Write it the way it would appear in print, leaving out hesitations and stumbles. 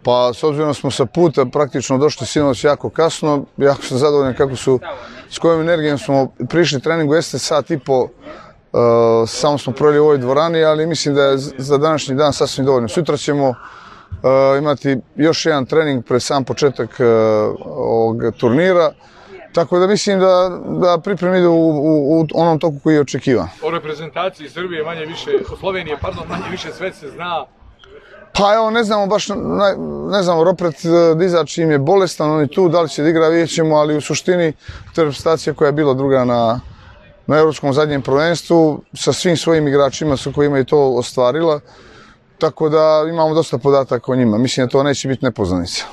Pa, s obzirom da smo sa puta praktično došli sinoć jako kasno, jako sam zadovoljan s kojom energijom smo prišli treningu, jeste sat i po, samo smo proveli u ovoj dvorani, ali mislim da je za današnji dan sasvim dovoljno. Sutra ćemo imati još jedan trening pred sam početak ovog turnira, tako da mislim da pripreme idu u onom toku koji je očekivan. O reprezentaciji Srbije Slovenije, manje više sve se zna. Pa evo, ne znamo baš, ne znamo, Ropret Dizač im je bolestan, on je tu, da li će da igra, vidjet ćemo, ali u suštini to je reprezentacija koja je bila druga na evropskom zadnjem prvenstvu, sa svim svojim igračima sa kojima je to ostvarila, tako da imamo dosta podataka o njima. Mislim da to neće biti nepoznanica.